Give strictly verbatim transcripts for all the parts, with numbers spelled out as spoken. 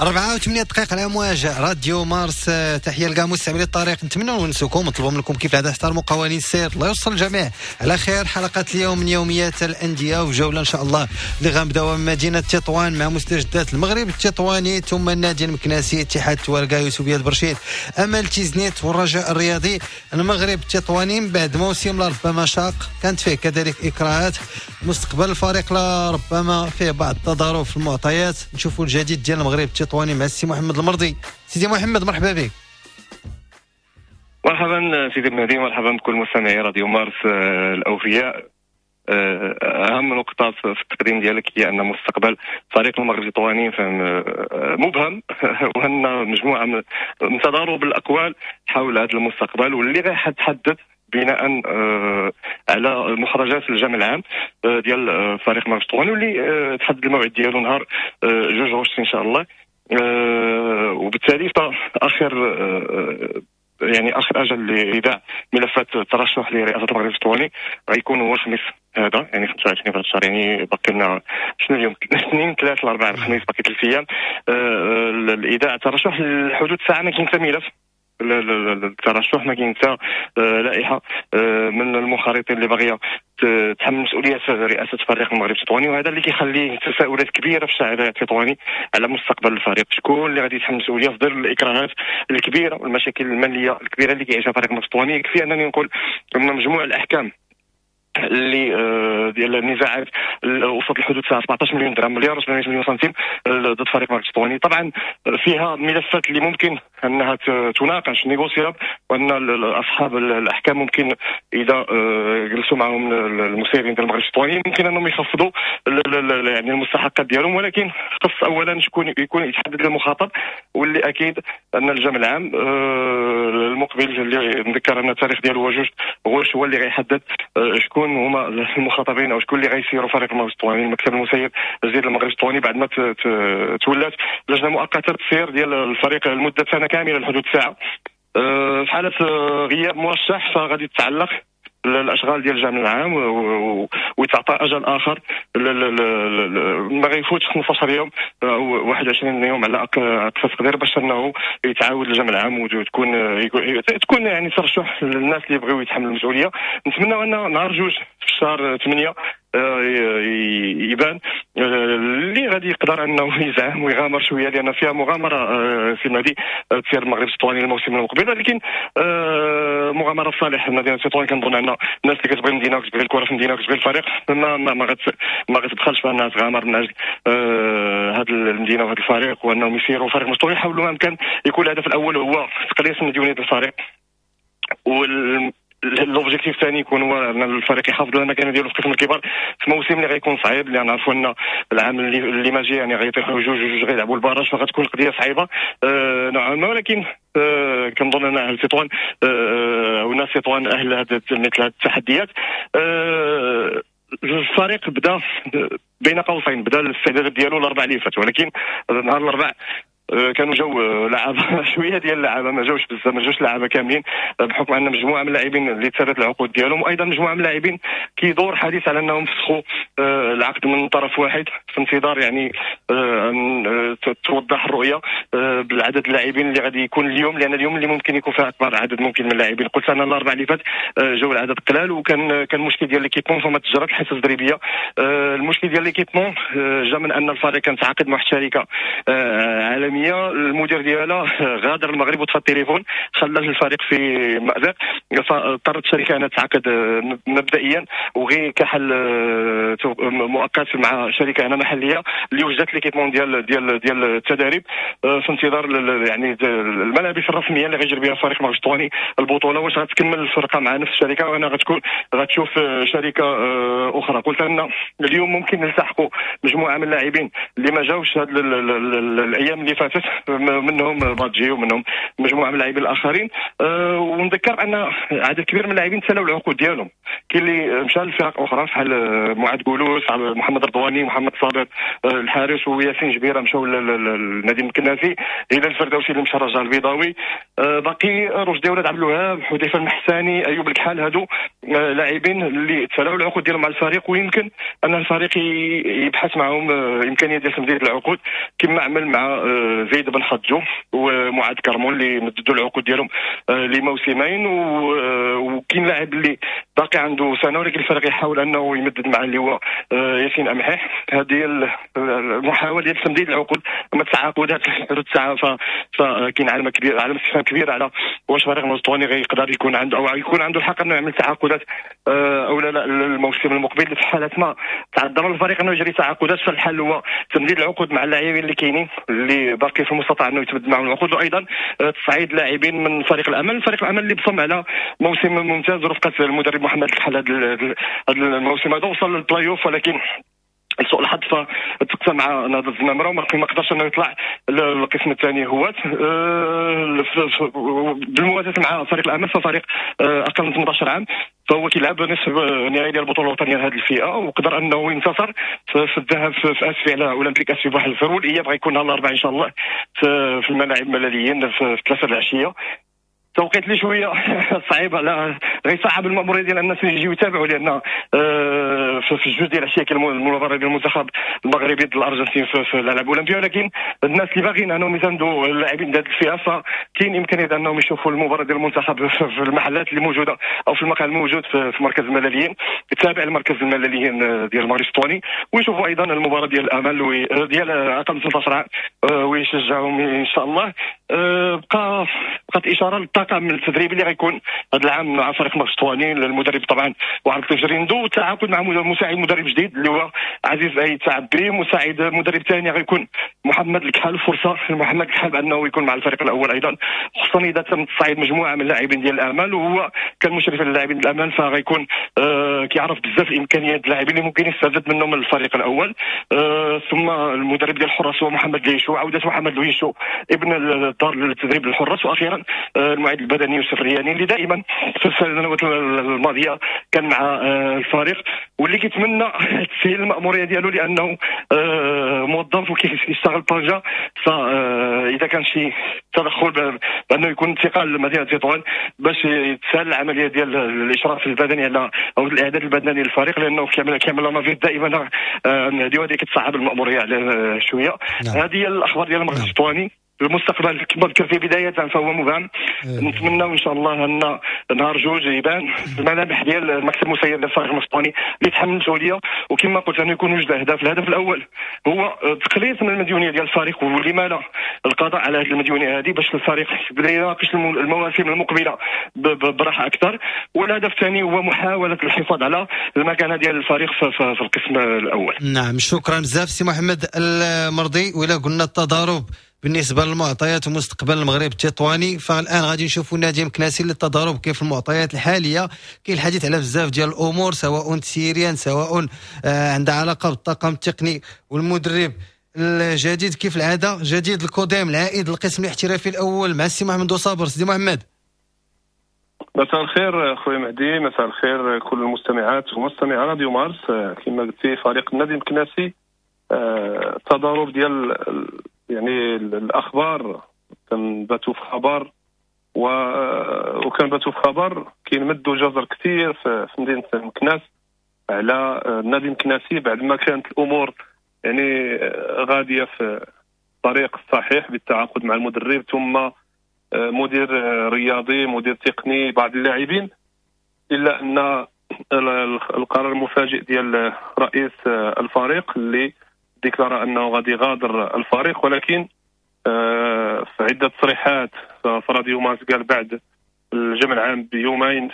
أربعة وثمانية دقائق على أمواج راديو مارس. تحية لكاع مستمعي الطريق، نتمنى نونسوكم ونطلبوا منكم كيف العادة تحترموا قوانين السير. الله يوصل الجميع على خير. حلقة اليوم من يوميات الأندية وجولة إن شاء الله اللي غنبداوها من مدينة تطوان مع مستجدات المغرب التطواني، ثم النادي المكناسي، اتحاد تواركة، يوسفية برشيد، أمل تيزنيت والرجاء الرياضي. المغرب التطواني بعد موسم لربما شاق كانت فيه كذلك إكراهات، مستقبل الفريق لربما فيه بعض التضارب في المعطيات. نشوفوا الجديد ديال المغرب التطواني مع السي محمد المرضي. سيدي محمد مرحبا بك. مرحبا سيدي المهدي، مرحبا بكل مستمعي راديو مارس الاوفياء. اهم نقطة في التقديم ديالك هي ان مستقبل فريق المغرب التطواني مبهم، وان مجموعة من تضارب الاقوال حول هذا المستقبل، واللي غيتحدد بناء على مخرجات الجمع العام ديال فريق المغرب التطواني، واللي تحدد الموعد ديالو نهار جوج غشت ان شاء الله. وبالتالي فاخر يعني اخر اجل لايداع ملفات الترشح لرئاسة المغرب التطواني غيكون هو الخميس هذا، يعني خمسة وعشرين في هذا الشهر، يعني باقي لنا شنو اليوم اثنين ثلاثة الاربعاء الخميس، باقي ثلاث ايام. الايداع الترشح لحدود الساعة ما كاين حتى ملف الترشح، ما كاين حتى لائحة من المخارطين اللي باغية تحمل مسؤولية رئاسة فريق المغرب التطواني، وهذا اللي كيخليه تساؤلات كبيرة في الشارع التطواني على مستقبل الفريق. شكون اللي غادي يتحمل المسؤولية في ظل الاكراهات الكبيرة والمشاكل المالية الكبيرة اللي كيعيشها فريق المغرب التطواني؟ يكفي انني نقول ان مجموع الاحكام اللي ديال النزاعات وصلت لحدود الساعة سبعطاش مليون درهم، مليار وسبعمية مليون سنتيم ضد فريق المغرب التطواني. طبعا فيها ملفات اللي ممكن انها تناقش négociable، وان اصحاب الاحكام ممكن اذا جلسوا معهم المسيرين ديال المغرب التطواني ممكن انهم يخفضوا يعني المستحقات ديالهم، ولكن خص اولا شكون يكون يتحدد المخاطب، واللي اكيد ان الجمع العام المقبل اللي نذكر ان التاريخ ديالو هو جوج غشت هو اللي غيحدد شكون هما المخاطبين او شكون اللي غيسيروا فريق المغرب التطواني. المكتب المسير الجديد للمغرب التطواني بعد ما تولات لجنة مؤقتة تسير ديال الفريق لمدة سنة كاملة لحدود ساعة. في حاله غياب مرشح فغادي تتعلق الاشغال ديال الجمع العام ويتعطى اجل اخر ما غيفوتش خمسطاش يوم او واحد وعشرين يوم على اقصى تقدير باش انه يتعاود الجمع العام وتكون تكون يعني ترشح للناس اللي يبغيو يتحملوا المسؤولية. نتمنى ان نهار جوج في الشهر ثمانية يبان اللي غادي يقدر انه يزعم ويغامر شوية، لان فيها مغامرة في المهدي تسير المغرب التطواني الموسم المقبل، ولكن مغامرة في صالح مدينة تطوان. كنظن ان الناس اللي كتبغي المدينة وكتبغي الكره في المدينة وكتبغي الفريق ما ما ما, ما غتبخلش بانها تغامر من اجل هذه المدينة وهذا الفريق، وانهم يسيروا فريق التطواني. يحاولوا ما امكن يكون الهدف الاول هو تقليص مديونية الفريق، وال l'objectif الثاني يكون هو ان الفريق يحافظ على المكانة ديالو في قسم الكبار في موسم اللي غيكون صعيب، لان عرفوا ان العام اللي, اللي ما جاي يعني غيطيحوا جوج جوج غيلعبوا ال barrage، فغتكون القضية صعيبة أه نوعا ما. ولكن أه كنظن ان اهل تطوان أه وناس تطوان اهل هذا مثل هذه التحديات. أه الفريق بدا بين قوسين بدا الاستعدادات ديالو الاربع اللي فات، ولكن نهار الاربع كانوا جاو لعابه شوية ديال اللعابه، ما جاوش بزاف، ما جاوش لعابه كاملين بحكم ان مجموعة من اللاعبين اللي تسالت العقود ديالهم، وايضا مجموعة من اللاعبين كيدور حديث على انهم فسخوا العقد من طرف واحد في انتظار يعني ان توضح الرؤية بالعدد اللاعبين اللي غادي يكون اليوم، لان اليوم اللي ممكن يكون فيه اكبر عدد ممكن من اللاعبين. قلت انا الاربع اللي فات جاو العدد قلال، وكان كان مشكل ديال l'équipement فما تجرات الحصص التدريبية. المشكل ديال l'équipement جا من ان الفريق كان تعاقد مع واحد الشركة عالمية، المدير ديالها غادر المغرب وطفى التليفون، خلى الفريق في مأزق، فاضطرت الشركة انها تعاقد مبدئيا وغير كحل مؤقت مع شركة هنا محليه اللي وجدت l'équipement ديال ديال ديال التدريب في انتظار يعني الملابس الرسمية اللي غيجري بها الفريق المغرب التطواني البطولة. واش غتكمل الفرقة مع نفس الشركة وانا غتكون غتشوف شركة اخرى؟ قلت ان اليوم ممكن نلتحقوا مجموعة من اللاعبين اللي ما جاوش هاد الايام اللي فاتت، منهم بادجي ومنهم مجموعة من اللاعبين الاخرين. أه ونذكر ان عدد كبير من اللاعبين تسالوا العقود ديالهم، كاين اللي مشى لفرق اخرى بحال معاذ قولوس، محمد رضواني، محمد صابر الحارس، وياسين جبيرة مشاو للنادي المكناسي، هلال الفردوسي اللي مشى الرجاء البيضاوي، أه باقي رشدي ولاد عبد الوهاب، حذيفة المحساني، ايوب الكحال، هادو لاعبين اللي تسالاو العقود ديالهم مع الفريق، ويمكن ان الفريق يبحث معهم امكانية ديال تمديد العقود كما عمل مع زيد بن حجو ومعاد كرمون اللي مددوا العقود ديالهم لموسمين، وكاين لاعب اللي باقي عنده سنة ولكن الفريق يحاول انه يمدد مع اللي هو ياسين امحيح. هذه المحاولة ديال تمديد العقود، اما التعاقدات حدود الساعة فكاين علامة كبيرة، علامة استفهام كبيرة على واش فريق التطواني غيقدر يكون عنده او يكون عنده الحق انه يعمل تعاقدات او لا لا الموسم المقبل. في حاله ما تعذر الفريق انه يجري تعاقدات، فالحل هو تمديد العقود مع اللاعبين اللي كاينين اللي باقي في المستطاع انه يتمدد معهم العقود، وايضا تصعيد لاعبين من فريق الامل. فريق الامل اللي بصم على موسم ممتاز رفقه المدرب محمد الكحل هذا الموسم هذا، وصل للبلاي اوف ولكن لسوء الحظ فتقسى مع نهضة الزمامرة وما قدرش انه يطلع للقسم الثاني هوات. بالموازاة مع فريق الامل ففريق اقل من ثمانية عشر عام فهو كيلعب نصف نهائي ديال البطولة الوطنية لهذه الفئة، وقدر انه ينتصر في الذهاب في اسفي على اولمبيك اسفي بواحد الفر، والاياب غيكون نهار الاربعاء ان شاء الله في الملاعب الملاليين في ثلاثة العشية. توقيت لي شوية صعيب على غيصعب المأمورية ديال الناس اللي يجيو يتابعوا، لان آه في الجوج ديال العشية كاين المباراة ديال المنتخب المغربي ضد الارجنتين في, في الالعاب الاولمبية، ولكن الناس اللي باغيين انهم يساندوا اللاعبين ديال الفئة فكاين امكانية انهم يشوفوا المباراة ديال المنتخب في المحلات اللي موجودة او في المقهى الموجود في, في مركز الملاليين التابع لمركز الملاليين ديال المغرب التطواني، ويشوفوا ايضا المباراة ديال الامل ديال اقل من ثلاثة عشر عام ويشجعهم ان شاء الله. بقى بقات اشارة للطاقم التدريبي اللي غيكون هذا العام مع فريق المغرب التطواني، المدرب طبعا وعبد اللطيف جريندو، والتعاقد مع مساعد مدرب جديد اللي هو عزيز اي تعبري، مساعد مدرب ثاني غيكون محمد الكحل. فرصة لمحمد الكحل بانه يكون مع الفريق الاول ايضا، خصوصا اذا تم تصعيد مجموعة من اللاعبين ديال الامل، وهو كان مشرف على اللاعبين ديال الامل فغيكون آه كيعرف بزاف الامكانيات اللاعبين اللي ممكن يستفاد منهم الفريق الاول. آه ثم المدرب ديال الحراس هو محمد ليشو، عوده محمد لويشو ابن الدار للتدريب للحراس، واخيرا المعد البدني يوسف الرياني اللي دائما في السنوات الماضية كان مع الفريق واللي كيتمنى تسهيل المأموريه ديالو لانه موظف وكيشتغل طنجه، فاذا كان شي تدخل بانه يكون انتقال لمدينة تطوان باش يتسهل العملية ديال الاشراف البدني على او الاعداد البدني للفريق، لانه كيعمل كيعمل navette دائما هذه وهذه كتصعب المأموريه على شوية. نعم. هذه هي الاخبار ديال المغرب التطواني. المستقبل كما ذكرت بداية فهو مبهم، نتمنى ان شاء الله ان نهار جوج يبان الملامح ديال المكتب المسير للفريق التطواني اللي يتحمل المسؤولية، وكما قلت انه يكون وجد اهداف. الهدف الاول هو تقليص من المديونيه ديال الفريق، ولما لا القضاء على هذه المديونيه هذه باش الفريق يبدا يناقش المواسم المقبلة براحة اكثر، والهدف الثاني هو محاولة الحفاظ على المكانة ديال الفريق في القسم الاول. نعم، شكرا بزاف سي محمد المرضي. ولا قلنا التضارب بالنسبة للمعطيات ومستقبل المغرب التطواني، فالان غادي نشوفوا نادي مكناسي للتضارب كيف المعطيات الحالية. كاين الحديث على بزاف ديال الامور، سواء تسييريا سواء عندها علاقة بالطاقم التقني والمدرب الجديد. كيف العادة جديد الكوديم العائد للقسم الاحترافي الاول مع السي محمد صابر. سيدي محمد، مساء الخير خويا مهدي، مساء الخير كل المستمعات ومستمعي راديو مارس. كما قلتي فريق النادي المكناسي التضارب ديال يعني الاخبار، كنباتوا في خبر و... وكنباتوا في خبر كينمدوا جزر كثير في مدينة مكناس على النادي المكناسي بعد ما كانت الامور يعني غادية في الطريق الصحيح بالتعاقد مع المدرب ثم مدير رياضي مدير تقني بعض اللاعبين، الا ان القرار المفاجئ ديال رئيس الفريق اللي déclara انه غادي يغادر الفريق، ولكن في عده تصريحات في راديو مارس قال بعد الجمع العام بيومين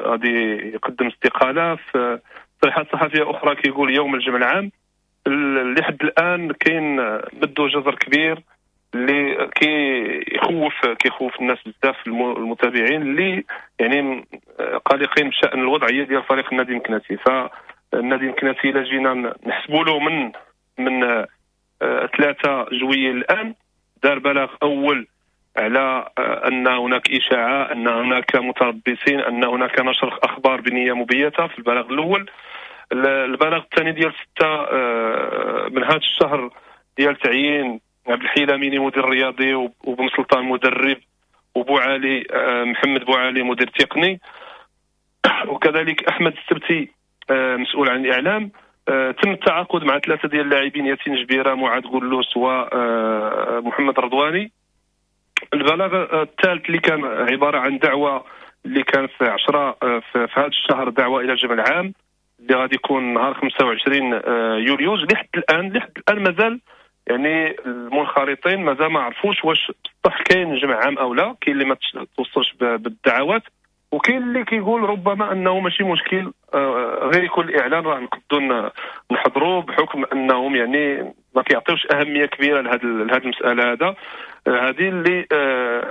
غادي يقدم استقالة. في تصريحات صحفية اخرى كيقول يوم الجمع العام. لحد الان كاين مدو جزر كبير اللي كيخوف كيخوف الناس بزاف المتابعين اللي يعني قلقين بشان الوضعية ديال فريق النادي المكناسي. فالنادي المكناسي الا جينا نحسبوا له من من ثلاثة جوية الان دار بلاغ اول على ان هناك اشاعة، ان هناك متربصين، ان هناك نشر اخبار بنيه مبيته في البلاغ الاول. البلاغ الثاني ديال ستة من هذا الشهر ديال تعيين عبد الحي لاميني مدير رياضي وبن سلطان مدرب وبو علي محمد بو علي مدير تقني، وكذلك احمد السبتي مسؤول عن الاعلام. تم التعاقد مع ثلاثة ديال اللاعبين، ياسين جبيرة، معاذ قلوس، ومحمد رضواني. البلاغ الثالث اللي كان عبارة عن دعوه اللي كان في عشرة في هذا الشهر، دعوه الى الجمع العام اللي غادي يكون نهار خمسة وعشرين يوليوز. لحد الان لحد الان مازال يعني المنخرطين مازال ما عرفوش واش بصح كاين جمع عام او لا. كاين اللي ما توصلش بالدعوات، وكاين اللي كيقول ربما انه ماشي مشكل غير يكون الاعلان راه نقدروا نحضروا، بحكم انهم يعني ما كيعطيوش اهمية كبيرة لهذه لهذه المسالة. هذا هذه اللي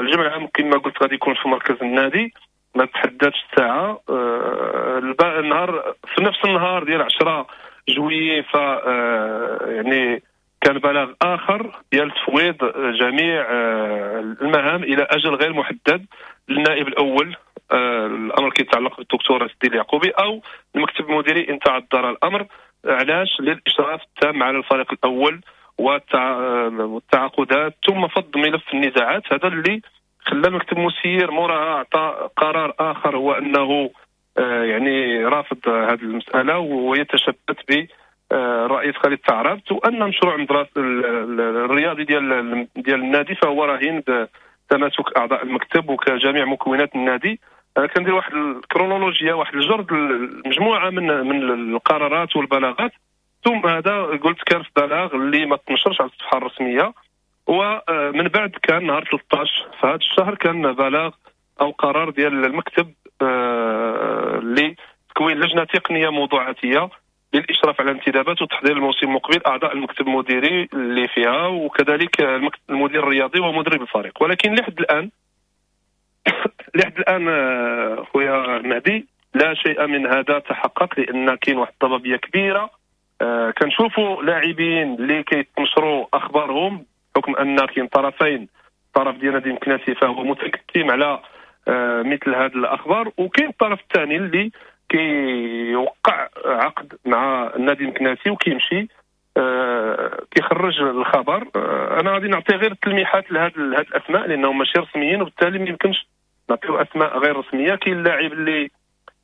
الجمع العام كما قلت غادي يكون في مركز النادي، ما تحددش الساعة. النهار في نفس النهار ديال عشرة جويي ف يعني كان بلاغ اخر ديال تفويض جميع المهام الى اجل غير محدد للنائب الاول. الامر كيتعلق بالدكتور السيد اليعقوبي او المكتب المديري ان تعذر الامر. علاش؟ للاشراف التام على الفريق الاول والتعاقدات، ثم فض ملف النزاعات. هذا اللي خلى المكتب المسير موراها اعطى قرار اخر، هو انه يعني رافض هذه المسالة ويتشبث ب الرئيس خالد تعربت، وان مشروع المدرسة الرياضي ديال ديال النادي فهو رهين بتماسك اعضاء المكتب وكجميع مكونات النادي. كندير واحد الكرونولوجيا، واحد الجرد مجموعة من من القرارات والبلاغات. ثم هذا قلت كان في بلاغ اللي ما تنشرش على الصفحة الرسمية، ومن بعد كان نهار ثلاثة عشر في هذا الشهر كان بلاغ او قرار ديال المكتب لتكوين لجنة تقنية موضوعاتيه للاشراف على الانتدابات وتحضير الموسم المقبل، اعضاء المكتب المديري اللي فيها وكذلك المدير الرياضي ومدرب الفريق. ولكن لحد الان لحد الان خويا مهدي لا شيء من هذا تحقق، لان كاين واحد الضبابيه كبيرة. كنشوفوا لاعبين اللي كيتنشروا اخبارهم بحكم ان كاين طرفين، الطرف ديال نادي مكناسي فهو متكتم على مثل هذه الاخبار، وكاين الطرف الثاني اللي كيوقع عقد مع النادي المكناسي وكيمشي آه كيخرج الخبر. آه انا غادي نعطي غير التلميحات لهاد لهاد الاسماء لانهم ماشي رسميين، وبالتالي ما يمكنش نعطيو اسماء غير رسمية. كاين اللاعب اللي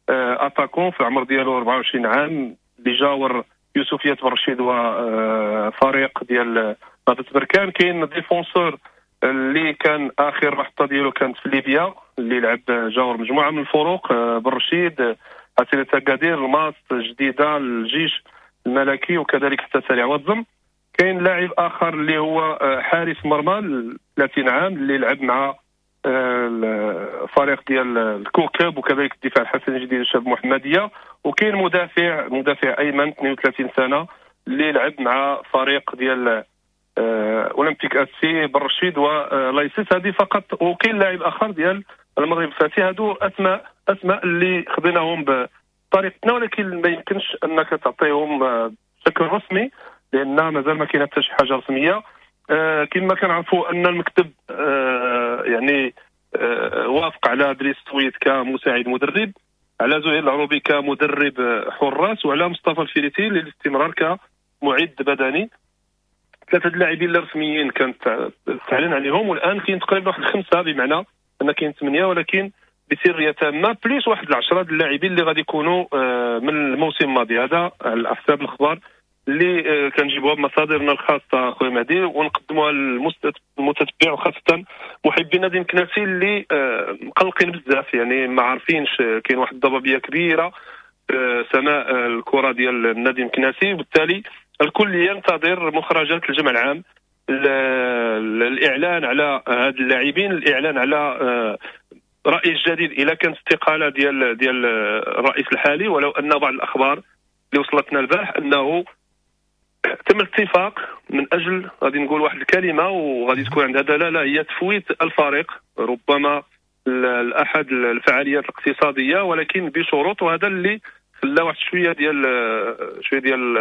آه attaquant في العمر ديالو أربعة وعشرين عام اللي جاور يوسفية برشيد وفريق ديال نهضة بركان. كاين défenseur اللي كان اخر محطة ديالو كانت في ليبيا، اللي لعب جاور مجموعة من الفروق، برشيد، حسينة أكادير، الماس، جديدة، الجيش الملكي، وكذلك حتى سريع واتزم. كاين لاعب اخر اللي هو حارس مرمى ثلاثين عام اللي لعب مع الفريق ديال الكوكب وكذلك الدفاع الحسني الجديد الشاب محمديه. وكاين مدافع مدافع ايمن اثنين وثلاثين سنة اللي لعب مع فريق ديال اولمبيك اسي برشيد ولايسيس. هذه فقط. وكاين لاعب اخر ديال المغرب الفاسي. هادو اسماء اسماء اللي خديناهم بطريقتنا، ولكن ما يمكنش انك تعطيهم بشكل رسمي لان مازال ما كاين حتى شي حاجة رسمية. آه كما كنعرفوا ان المكتب آه يعني آه وافق على دريس سويد كمساعد مدرب، على زهير العروبي كمدرب حراس، وعلى مصطفى الفيريتي للاستمرار كمعد بدني. ثلاثة اللاعبين الرسميين كانت تعلن عليهم، والان كاين تقريبا واحد خمسة، بمعنى ان كاين ثمانية ولكن بسريه تامة، plus واحد العشرة اللاعبين اللي غادي يكونوا من الموسم الماضي. هذا على حساب الاخبار اللي كنجيبوها بمصادرنا الخاصة خويا مهدي، ونقدموها للمتتبع وخاصة محبي نادي مكناسي اللي مقلقين بزاف، يعني ما عارفينش. كاين واحد الضبابيه كبيرة سماء الكره ديال النادي المكناسي، وبالتالي الكل ينتظر مخرجات الجمع العام، الاعلان على هاد اللاعبين، الاعلان على رئيس جديد اذا كانت استقالة ديال ديال الرئيس الحالي. ولو ان بعض الاخبار اللي وصلتنا البارح انه تم الاتفاق من اجل، غادي نقول واحد الكلمة وغادي تكون عندها دلالة، هي تفويت الفريق ربما لاحد الفعاليات الاقتصادية ولكن بشروط. وهذا اللي خلى واحد شوية ديال شوية ديال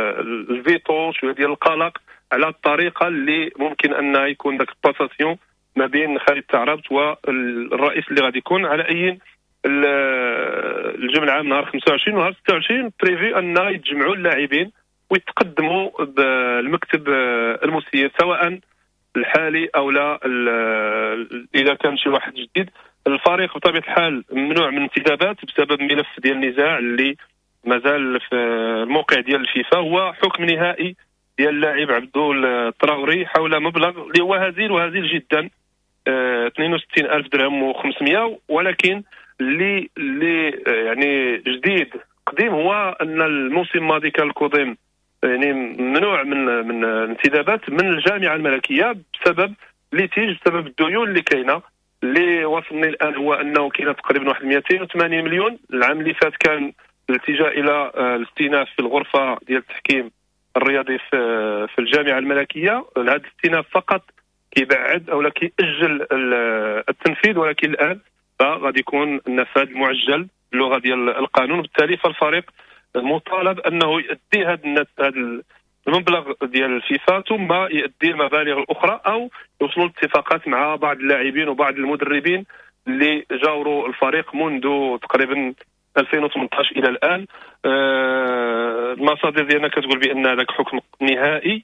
الفيتو، شوية ديال القلق على الطريقة اللي ممكن ان يكون ذاك ال passation ما بين خالد تعربت والرئيس اللي غادي يكون. على اي الجمع العام نهار خمسة وعشرين ونهار ستة وعشرين prévu ان يتجمعوا اللاعبين ويتقدموا بالمكتب المسير سواء الحالي او لا اذا كان شي واحد جديد. الفريق بطبيعة الحال ممنوع من الانتدابات بسبب ملف ديال النزاع اللي مازال في الموقع ديال الفيفا، هو حكم نهائي ديال اللاعب عبدو التراوري حول مبلغ اللي هو هزيل وهزيل جدا، اثنين وستين ألف درهم وخمسمية. ولكن اللي اللي يعني جديد قديم هو ان الموسم الماضي كان الكوديم يعني ممنوع من من الانتدابات من الجامعة الملكية بسبب litige، بسبب الديون اللي كاينه. اللي وصلني الان هو انه كاينه تقريبا واحد مئتين وثمانين مليون. العام اللي فات كان الالتجاء الى الاستئناف في الغرفة ديال التحكيم الرياضي في في الجامعة الملكية. هذا الاستئناف فقط كيبعد او لا كيأجل التنفيذ، ولكن الان فغادي يكون النفاذ المعجل باللغة ديال القانون. بالتالي فالفريق مطالب انه يؤدي هذا هذا المبلغ ديال الفيفا، ثم يؤدي المبالغ الاخرى او يوصلوا لاتفاقات مع بعض اللاعبين وبعض المدربين اللي جاوروا الفريق منذ تقريبا ألفين وثمانية عشر الى الان. آه المصادر ديالنا كتقول بان هذاك حكم نهائي،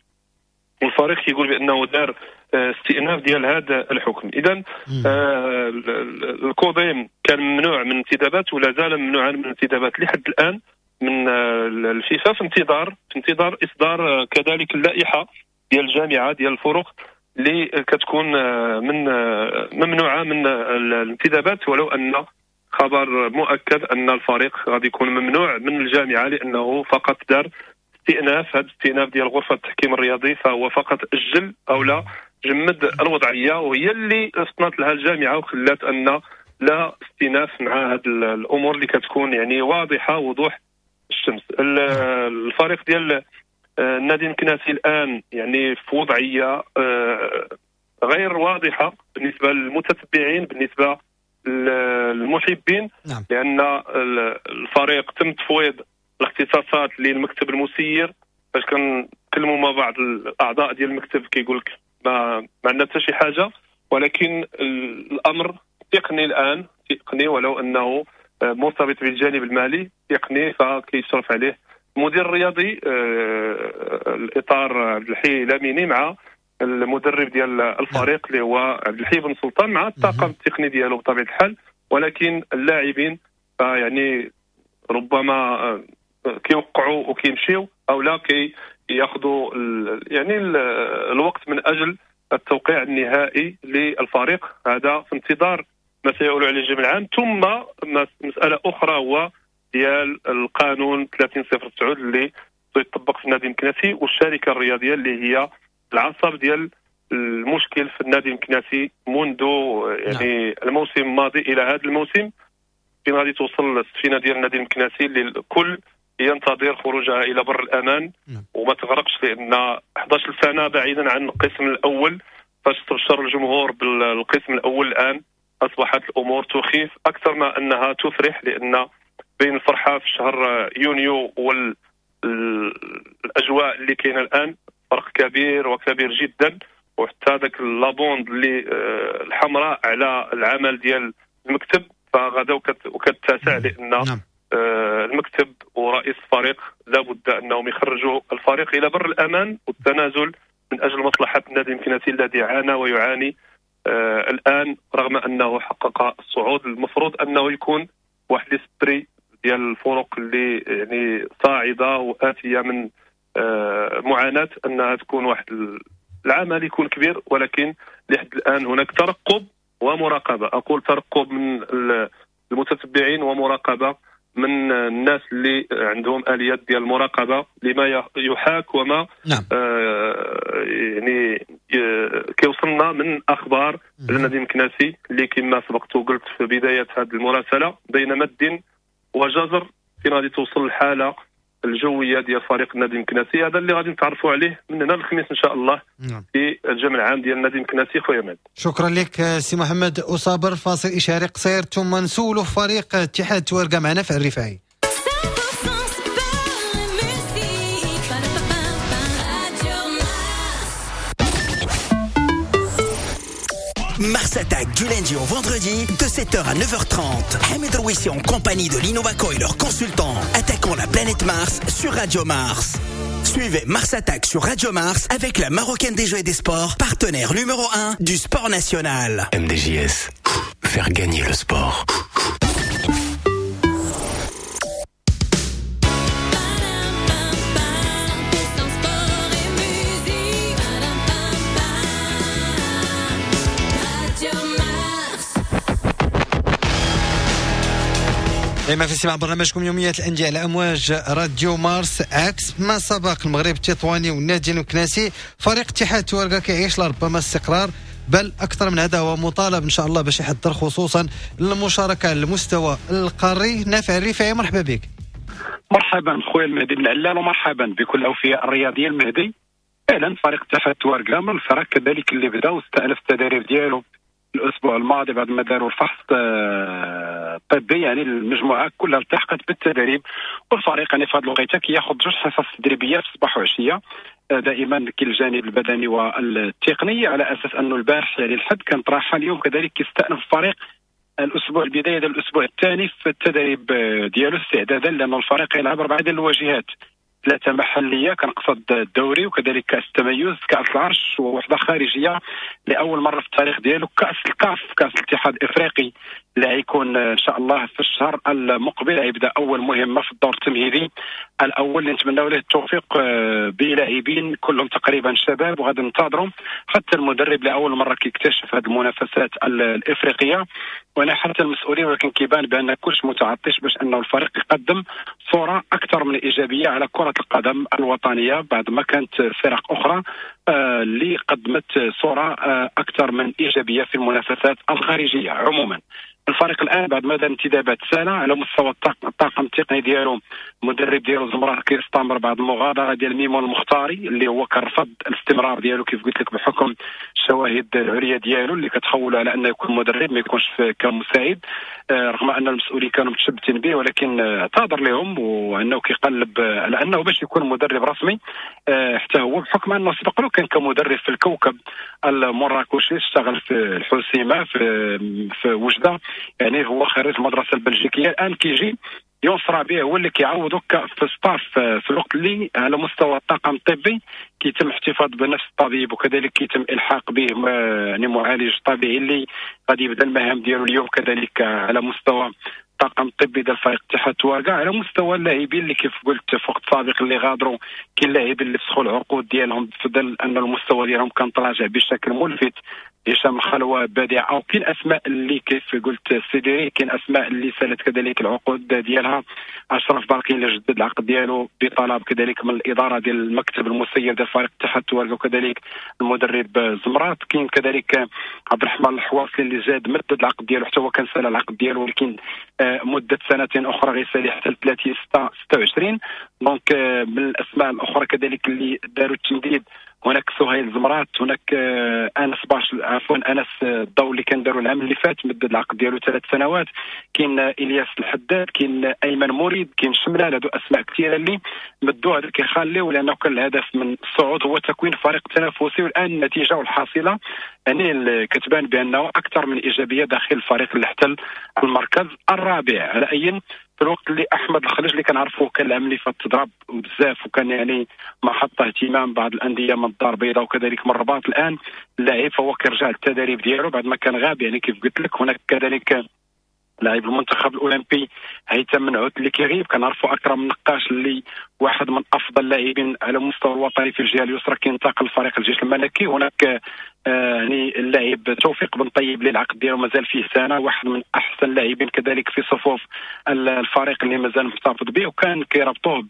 والفريق كيقول بانه دار استئناف ديال هذا الحكم. اذا آه الكوديم كان ممنوع من انتدابات ولا زال ممنوعا من الانتدابات لحد الان من الفيفا، في انتظار في انتظار اصدار كذلك اللائحة ديال الجامعة ديال الفرق اللي كتكون من ممنوعة من الانتدابات، ولو ان خبر مؤكد ان الفريق غادي يكون ممنوع من الجامعة لانه فقط دار استئناف. هذا الاستئناف ديال غرفة التحكيم الرياضي فهو فقط اجل او لا جمد الوضعية، وهي اللي فطنت لها الجامعة وخلات ان لا استئناف مع هذه الامور اللي كتكون يعني واضحة وضوح الشمس. الفريق ديال النادي المكناسي الان يعني في وضعية غير واضحة بالنسبة للمتتبعين، بالنسبة للمحبين. نعم. لان الفريق تم تفويض الاختصاصات للمكتب المسير. فاش كنتكلموا مع بعض الاعضاء ديال المكتب كيقول لك ما ما عندنا حتى شي حاجة، ولكن الامر تقني الان، تقني ولو انه مرتبط بالجانب المالي تقني، فكيشرف عليه المدير الرياضي الاطار عبد الحي لاميني مع المدرب ديال الفريق اللي هو عبد الحي بن سلطان مع الطاقم التقني ديالو بطبيعة الحال. ولكن اللاعبين يعني ربما كيوقعوا وكيمشيو او لا كياخذوا يعني الوقت من اجل التوقيع النهائي للفريق. هذا في انتظار ما سيقول عليه الجمع العام. ثم مسالة اخرى هو ديال القانون ثلاثين صفر تسعة اللي يطبق في النادي المكناسي والشركة الرياضية اللي هي العصب ديال المشكل في النادي المكناسي منذ يعني نعم. الموسم الماضي الى هذا الموسم، فين غادي توصل السفينة ديال النادي المكناسي اللي الكل ينتظر خروجها الى بر الامان. نعم. وما تغرقش، لان إحدى عشرة سنة بعيدا عن القسم الاول، فاش استبشر الجمهور بالقسم الاول الان اصبحت الامور تخيف اكثر ما انها تفرح، لان بين الفرحة في شهر يونيو والاجواء اللي كاينه الان فرق كبير وكبير جدا. وحتى ذاك la bande اللي الحمراء على العمل ديال المكتب فغدا وكتسع، لان نعم. المكتب ورئيس الفريق لابد انهم يخرجوا الفريق الى بر الامان والتنازل من اجل مصلحة النادي المكناسي الذي عانى ويعاني آه الان، رغم انه حقق الصعود. المفروض انه يكون واحد l'esprit ديال الفرق اللي يعني صاعده واتيه من آه معاناة، انها تكون واحد العمل يكون كبير، ولكن لحد الان هناك ترقب ومراقبة. اقول ترقب من المتتبعين ومراقبة من الناس اللي عندهم اليات ديال المراقبة لما يحاك وما نعم. آه يعني كيوصلنا من اخبار النادي المكناسي اللي كما سبقت وقلت في بداية هذه المراسله بين مد وجزر فين غادي توصل الحالة الجوية ديال فريق النادي المكناسي. هذا اللي غادي نتعرفوا عليه من هنا للخميس ان شاء الله. نعم. في الجمع العام ديال النادي المكناسي. خويا مهدي شكرا لك سي محمد أصابر. فاصل اشاري قصير ثم نسولوا فريق اتحاد توارقه معنا في الرفاعي. Mars Attack du lundi au vendredi de sept heures à neuf heures trente. Hamid Rouissi en compagnie de l'Innovaco et leurs consultants attaquant la planète Mars sur Radio Mars. Suivez Mars Attack sur Radio Mars avec la Marocaine des Jeux et des Sports, partenaire numéro un du sport national. M D J S, faire gagner le sport. دائما في استماع برنامجكم يوميات الأندية على أمواج راديو مارس. عكس ما سبق المغرب التطواني والنادي المكناسي، فريق اتحاد تواركة كيعيش لربما استقرار، بل أكثر من هذا هو مطالب إن شاء الله باش يحضر خصوصا المشاركة على المستوى القاري. نافع الرفاعي مرحبا بك. مرحبا خويا المهدي بن علال، ومرحبا بكل أوفياء الرياضية. المهدي فعلا فريق اتحاد تواركة من الفرق كذلك اللي بدا واستأنف التدريب ديالو الاسبوع الماضي بعد ما داروا الفحص الطبي، يعني المجموعة كلها التحقت بالتدريب، والفريق يعني في هذه الوقيته كياخذ جوج حصص تدريبية في الصباح وعشية، دائما كاين الجانب البدني والتقني، على اساس انه البارح يعني الحد كانت راحة، اليوم كذلك كيستأنف الفريق الاسبوع البداية ديال الاسبوع الثاني في التدريب ديالو استعدادا، لان الفريق يلعب اربعة ديال الواجهات، ثلاثة محليه كنقصد الدوري وكذلك كاس التميز كاس العرش، ووحده خارجية لاول مرة في التاريخ ديالو كاس الكاف كاس الاتحاد الافريقي اللي غيكون ان شاء الله في الشهر المقبل، غيبدا اول مهمة في الدور التمهيدي الاول اللي نتمناو له التوفيق بلاعبين كلهم تقريبا شباب، وغادي ننتظروا حتى المدرب لاول مرة كيكتشف هذه المنافسات الافريقية، وانا حتى المسؤولين، ولكن كيبان بان كلش متعطش باش انه الفريق يقدم صوره اكثر من ايجابية على كره القدم الوطنية بعد ما كانت فرق اخرى اللي قدمت صوره اكثر من ايجابية في المنافسات الخارجية. عموما الفريق الان بعد ما دار انتدابات سنة على مستوى الطاقم التقني ديالو، المدرب ديالو زمرات كيستمر بعد المغادرة ديال ميمون المختاري اللي هو كان رفض الاستمرار ديالو كيف قلت لك بحكم الشواهد العرية ديالو اللي كتخولوا على انه يكون مدرب ما يكونش كمساعد، رغم ان المسؤولين كانوا متشبتين به، ولكن اعتذر لهم وانه كيقلب على انه باش يكون مدرب رسمي حتى هو، بحكم انه سبق له كان كمدرب في الكوكب المراكشي، اشتغل في الحسيمه في في وجده، يعني هو خريج المدرسة البلجيكيه. الان كيجي يونس ربيع هو اللي كيعوضو في staff في الوقت اللي على مستوى الطاقم الطبي كيتم احتفاظ بنفس الطبيب، وكذلك كيتم الحاق به يعني معالج طبيعي اللي غادي يبدا المهام ديالو اليوم، كذلك على مستوى الطاقم الطبي ديال فريق اتحاد تواركة. على مستوى اللاعبين اللي كيف قلت في وقت سابق اللي غادروا، كاين لاعبين اللي فسخوا العقود ديالهم في ظل ان المستوى ديالهم كان تراجع بشكل ملفت، هشام الخلوة بديع، او كاين اسماء اللي كيف قلت سيديري، كاين اسماء اللي سالت كذلك العقود ديالها، اشرف باقي اللي جدد العقد ديالو بطلب كذلك من الادارة ديال المكتب المسير ديال فريق اتحاد تواركة وكذلك المدرب زمرات، كاين كذلك عبد الرحمن الحواصلي اللي زاد مدد العقد ديالو حتى هو كان سال العقد ديالو، ولكن مده سنتين اخرى غيسالي حتى ثلاثين ستة وعشرين. donc من الاسماء الاخرى كذلك اللي داروا التمديد هناك سهيل زمرات، هناك انس باش عفوا انس الضو اللي كان داروا العام اللي فات مدد العقد ديالو ثلاث سنوات، كاين الياس الحداد، كاين ايمن مريد، كاين شملال، هادو اسماء كثيرة اللي مدوا هذا كيخليو، لانه كان الهدف من الصعود هو تكوين فريق تنافسي، والان النتيجة والحاصله يعني كتبان بانه اكثر من ايجابية داخل الفريق اللي احتل المركز الرابع. على اي في الوقت اللي احمد الخليج اللي كنعرفوه كان العام اللي فات تضرب بزاف وكان يعني محط اهتمام بعض الاندية من الدار البيضاء وكذلك من الرباط، الان اللاعب فهو كيرجع للتدريب ديالو بعد ما كان غاب، يعني كيف قلت لك هناك كذلك لاعب المنتخب الاولمبي هيثم منعوت اللي كيغيب، كنعرفوا اكرم النقاش اللي واحد من افضل اللاعبين على المستوى الوطني في الجهة اليسرى كينتقل لفريق الجيش الملكي، هناك يعني اللاعب توفيق بن طيب اللي العقد ديالو مازال فيه سنة، واحد من احسن اللاعبين كذلك في صفوف الفريق اللي مازال محتفظ به، وكان كيربطوه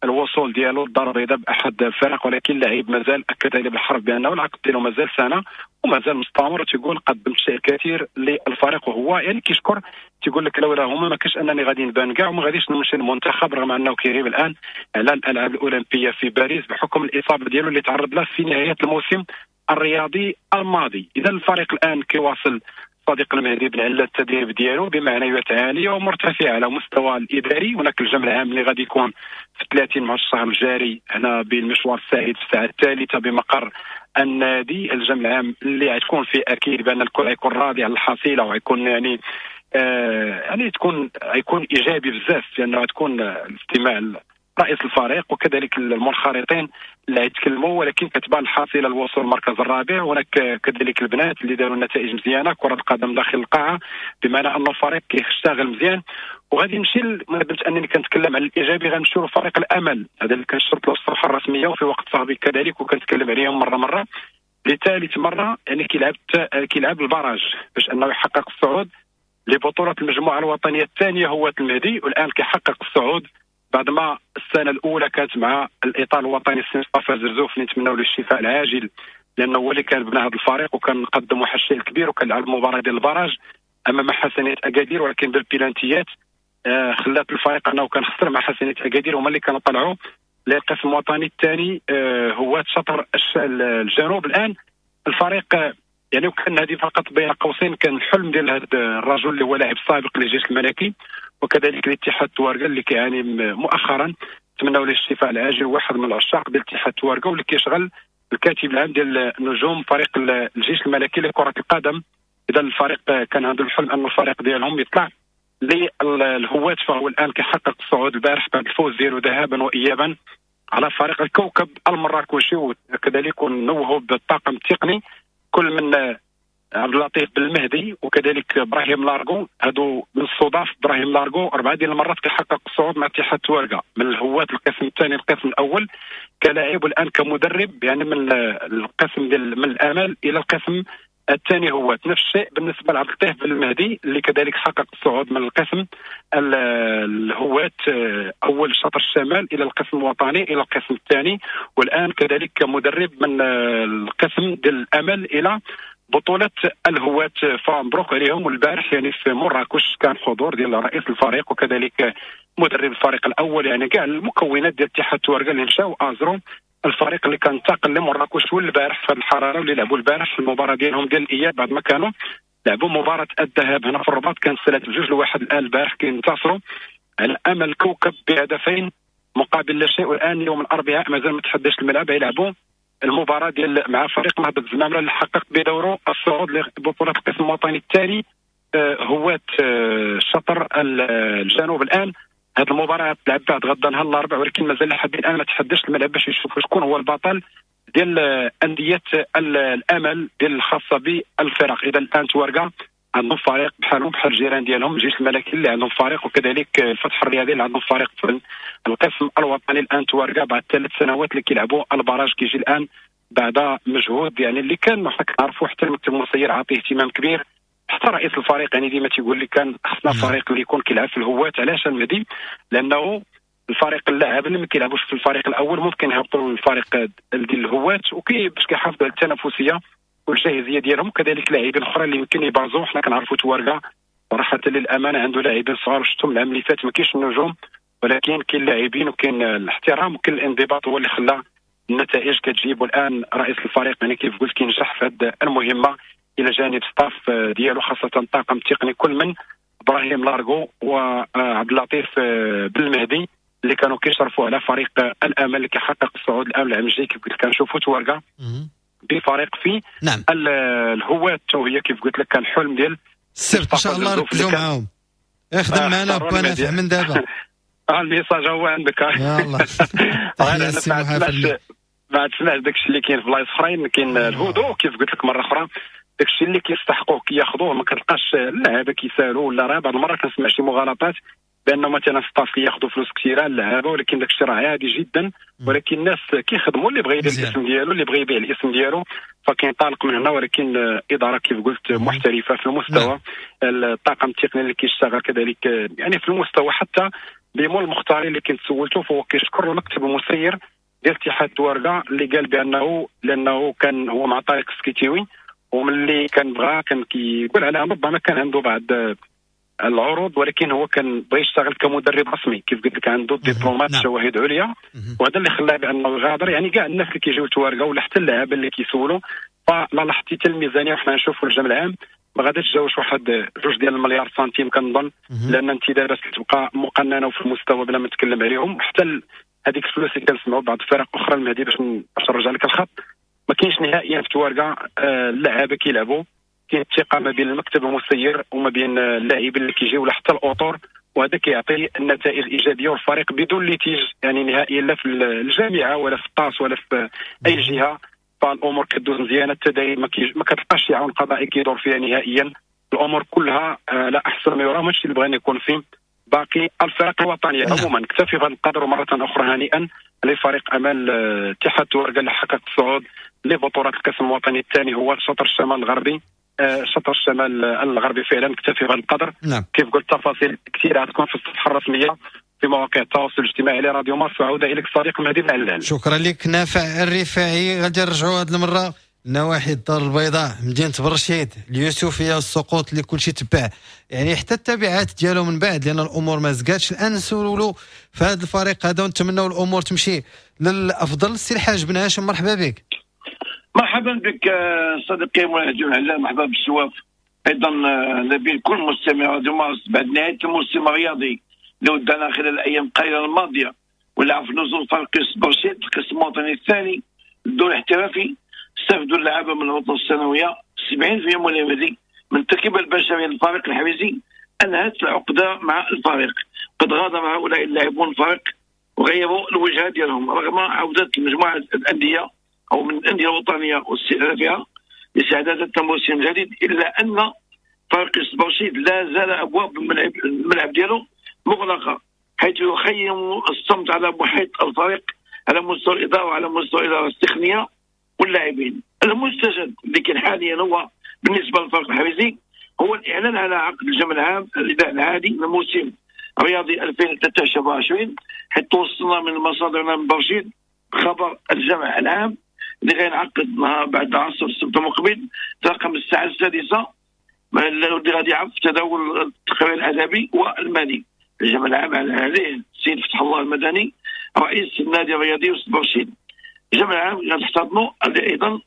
بالوصول ديالو للدار البيضاء باحد الفرق، ولكن اللاعب مازال اكد عليه بالحرف بانه العقد ديالو مازال سنة ومازال مستمر، تيقول قدمت شيء كثير للفريق، وهو يعني كيشكر تيقول لك لولا هما ما كاش انني غادي نبان كاع وما غاديش نمشي للمنتخب، رغم انه كيغيب الان على الالعاب الاولمبية في باريس بحكم الاصابة ديالو اللي تعرض لها في نهاية الموسم الرياضي الماضي. اذا الفريق الان كيواصل صديق المهدي بن علال التدريب ديالو بمعنويات عالية ومرتفعه على مستوى الاداري، هناك الجمع العام اللي غادي يكون في ثلاثين مع الشهر الجاري هنا بالمشوار السعيد في الساعة الثالثة بمقر النادي، الجمع العام اللي غتكون فيه اكيد بان الكل غيكون راضي على الحصيلة وغيكون يعني آه يعني تكون غيكون ايجابي بزاف، لانه غتكون الاستماع رئيس الفريق وكذلك المنخرطين اللي يتكلموا، ولكن كتبان الحاصلة الوصول المركز الرابع. هناك كذلك البنات اللي داروا نتائج مزيانه كره القدم داخل القاعة، بمعنى ان الفريق كيشتغل مزيان. وغادي نمشي ما درت انني كنتكلم على الايجابي، غنمشيو لفريق الامل، هذا اللي كنشرط له الصفحة الرسمية وفي وقت سابق كذلك وكنتكلم عليهم مرة مرة لثالث مرة، يعني كيلعب كيلعب ال barrage باش انه يحقق الصعود لبطولة المجموعة الوطنية الثانية هو المهدي، والان كيحقق الصعود بعد ما السنة الاولى كانت مع الاطار الوطني السي مصطفى زرزوف اللي نتمنوا له الشفاء العاجل، لانه هو اللي كان بنى هذا الفريق وكان قدم واحد الشيء كبير وكان لعب المباراة ديال ال barrage امام حسنيه اكادير، ولكن بالبيلانتيات آه خلات الفريق انه كان خسر مع حسنيه اكادير، هما اللي كانوا طلعوا للقسم الوطني الثاني آه هو شطر الجنوب. الان الفريق يعني وكان هذه فقط بين قوسين كان الحلم ديال هذا الرجل اللي هو لاعب سابق للجيش الملكي وكذلك الاتحاد تواركة اللي كيعاني مؤخرا، نتمنوا له الشفاء العاجل، واحد من العشاق ديال الاتحاد تواركة واللي كيشغل الكاتب العام ديال نجوم فريق الجيش الملكي لكرة القدم. اذا الفريق كان عنده الحلم ان الفريق ديالهم يطلع للهواة، فهو الان كيحقق الصعود البارح بعد الفوز ديالو ذهابا وايابا على فريق الكوكب المراكشي، وكذلك نوهوا بالطاقم التقني كل من عبد اللطيف بالمهدي وكذلك ابراهيم لارغو. هادو من الصدف ابراهيم لارغو اربعة ديال المرات كيحقق الصعود مع اتحاد تواركة من الهواة القسم الثاني القسم الاول كلاعب، والان كمدرب يعني من القسم ديال من الامل الى القسم الثاني هواة. نفس الشيء بالنسبة لعبد اللطيف بالمهدي اللي كذلك حقق الصعود من القسم الهواة اول شطر الشمال الى القسم الوطني الى القسم الثاني، والان كذلك كمدرب من القسم ديال الامل الى بطولة الهواة. فمبروك عليهم. والبارح يعني في مراكش كان حضور ديال رئيس الفريق وكذلك مدرب الفريق الاول، يعني كاع المكونات ديال اتحاد تواركة اللي مشاو ازرو الفريق اللي كان انتقل لمراكش والبارح في الحرارة واللي لعبوا البارح في المباراة ديالهم ديال الاياب بعد ما كانوا لعبوا مباراة الذهاب هنا في الرباط كانت ثلاثة بجوج لواحد. الان البارح كينتصروا على امل كوكب بهدفين مقابل لا شيء، والان يوم الاربعاء مازال ما تحداش الملعب يلعبوا المباراة ديال مع فريق نهضة الزمامره اللي حقق بدوره الصعود لبطولة القسم الوطني الثاني هواة شطر الجنوب. الان هذه المباراة تلعب بعد غدا نهار الاربعاء، ولكن مازال لحد الان ما تحدش الملعب باش يشوفوا شكون هو البطل ديال اندية الامل ديال الخاصة بالفرق. اذا الان تواركة عندهم فريق بحالهم بحال الجيران ديالهم الجيش الملكي اللي عندهم فريق، وكذلك الفتح الرياضي اللي عندهم فريق في القسم الوطني. الان تواركة بعد ثلاث سنوات اللي كيلعبوا ال barrage كيجي الان بعد مجهود يعني اللي كان حنا كنعرفوا حتى المكتب المسير عاطيه اهتمام كبير، حتى رئيس الفريق يعني ديما تيقول لي كان خصنا فريق اللي يكون كيلعب في الهواة. علاش المهدي؟ لانه الفريق اللاعب اللي ما كيلعبوش في الفريق الاول ممكن يهبطوا للفريق ديال الهواة، وكي باش كيحافظوا على التنافسية والجاهزيه ديالهم، كذلك لاعبين اخرى اللي يمكن يبرزوا. حنا كنعرفوا تواركة صراحة للامانة عنده لاعبين صغار، شفتهم العام اللي فات ما كاينش النجوم، ولكن كاين لاعبين وكاين الاحترام وكاين الانضباط هو اللي خلى النتائج كتجيب. والان رئيس الفريق يعني كيف قلت كينجح في هذه المهمة الى جانب staff ديالو خاصة الطاقم التقني كل من ابراهيم لارغو وعبد اللطيف بالمهدي اللي كانوا كيشرفوا على فريق الامل اللي كيحقق الصعود الان العام الجاي. كيف قلت كنشوفوا تواركة بفريق في نعم الهواة، وهي كيف قلت لك كان حلم ديال السبت ان شاء الله ركزوا معاهم. اخدم معنا با نافع من دابا. اه ال message هو عندك. يلاه بعد سمعت داكشي اللي كاين في بلايص اخرين، كاين الهدوء كيف قلت لك مرة اخرى، داكشي اللي كيستحقوه كياخذوه، ما كتلقاش اللعابه كيسالوا ولا راه بعض المرات كنسمع شي مغالطات بانه مثلا staff كياخذوا فلوس كثيرة اللعابه، ولكن داكشي راه عادي جدا. ولكن الناس كيخدموا، اللي بغى يدير الاسم ديالو اللي بغى يبيع الاسم ديالو فكينطلق من هنا، ولكن ادارة كيف قلت محترفه في المستوى، الطاقم التقني اللي كيشتغل كذلك يعني في المستوى. حتى بيمول المختاري اللي كنت سولته فهو كيشكر المكتب المسير ديال اتحاد تواركة اللي قال بانه لانه كان هو مع طارق السكيتيوي، وملي كان بغى كان كيقول على ربما كان عنده بعض العروض، ولكن هو كان بغى يشتغل كمدرب رسمي كيف قلت لك عنده دبلومات شواهد عليا، وهذا اللي خلاه بانه يغادر. يعني كاع الناس اللي كيجيو لتواركة ولا حتى اللاعبين اللي كيسولوا، فلا لاحظتي حتى الميزانية وحنا نشوفوا الجمع العام ما غاديش تجاوز واحد جوج ديال المليار سنتيم كنظن، لان الانتدابات كتبقى مقننه وفي المستوى بلا ما نتكلم عليهم. حتى هذيك الفلوس اللي كنسمعوا بعض الفرق اخرى المهدي باش باش نرجع لك الخط، ما كاينش نهائيا في تواركة اللاعبه كيلعبوا، كاين الثقة ما بين المكتب المسير وما بين اللاعبين اللي كيجيو ولا حتى الاطر، وهذا كيعطي النتائج الايجابية والفريق بدون litige يعني نهائيا لا في الجامعة ولا في الطاس ولا في اي جهة. فالامور كدوز مزيانه، التدريب ما, ما كتلقاش شي عون قضائي كيدور فيها نهائيا، الامور كلها لا احسن ما يرام. هادشي اللي بغينا يكون فيه باقي الفرق الوطنية. عموما نكتفي بهذا القدر، ومرة اخرى هنيئا لفريق امل اتحاد تواركة اللي حقق الصعود لبطولة القسم الوطني الثاني هو شطر الشمال الغربي شطر الشمال الغربي. فعلا نكتفي بهذا القدر. نعم. كيف قلت تفاصيل كثيرة غتكون في الصفحة الرسمية في مواقع التواصل الاجتماعي لراديو مارس. وعوده اليك صديق مهدي بن علال. شكرا لك نافع الرفاعي. غادي نرجعوا هذه المرة نواحي الدار البيضاء، مدينة برشيد، اليوسفيه، السقوط اللي كلشي تبع يعني حتى التبعات ديالو من بعد، لان الامور ما زكاتش. الان نسولوا في هذا الفريق هذا ونتمنوا الامور تمشي للافضل. سي الحاج بن هاشم مرحبا بك. مرحبا بك صديقي مهدي بن علال، مرحبا بالسواف ايضا نبيل كل مستمع راديو مارس. بعد نهاية الموسم الرياضي اللي ودانا خلال الايام القليلة الماضية ولعب في نزول فريق برشيد القسم الوطني الثاني الدور الاحترافي، استفدوا اللعابه من العطلة السنوية سبعين بالمئة من من التركيبة البشرية للفريق الحريزي انهت العقدة مع الفريق. قد غادر هؤلاء اللاعبون الفريق وغيروا الوجهة ديالهم رغم عوده مجموعة الاندية او من الاندية الوطنية واستئنافها لاستعدادات الموسم الجديد، الا ان فريق برشيد لا زال ابواب الملعب الملعب ديالو مغلقة، حيث يخيم الصمت على محيط الفريق على مستوى الادارة وعلى مستوى الادارة التقنية واللاعبين. المستجد اللي كان حاليا هو بالنسبة للفريق الحريزي هو الاعلان على عقد الجمع العام الاداء العادي للموسم الرياضي ألفين وثلاثة وعشرين، حيث توصلنا من مصادرنا من برشيد خبر الجمع العام اللي غينعقد بعد عصر السبت المقبل ترقم الساعة السادسة، اللي غادي يعرف تداول التقرير الادبي والمالي. الجمع العام عليه السيد فتح الله المدني رئيس النادي الرياضي وسط برشيد. الجمع العام غتحتضنوا ايضا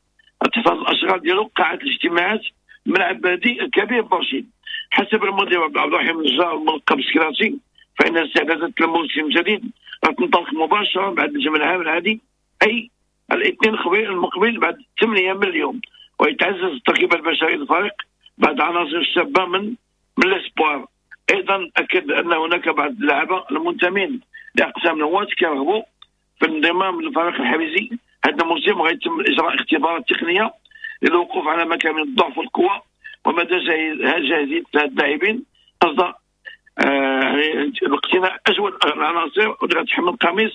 تحتضن الاشغال ديالو قاعة الاجتماعات ملعب بلدي الكبير برشيد. حسب المدير عبد الرحيم النجار الملقب سكراتي فان استعدادات الموسم الجديد غتنطلق مباشرة بعد الجمع العام العادي، اي الاثنين المقبل بعد ثمانية من اليوم، ويتعزز التركيبة البشرية للفريق بعد عناصر الشابة من من les espoirs. ايضا اكد ان هناك بعض اللاعبين المنتمين لاقسام النواة كيرغبوا في الانضمام للفريق الحريزي هذا الموسم، وغيتم اجراء اختبارات تقنية للوقوف على مكامن الضعف والقوه ومدى جاهزية اللاعبين قصد اقتناء اجود العناصر واللي غتحمل قميص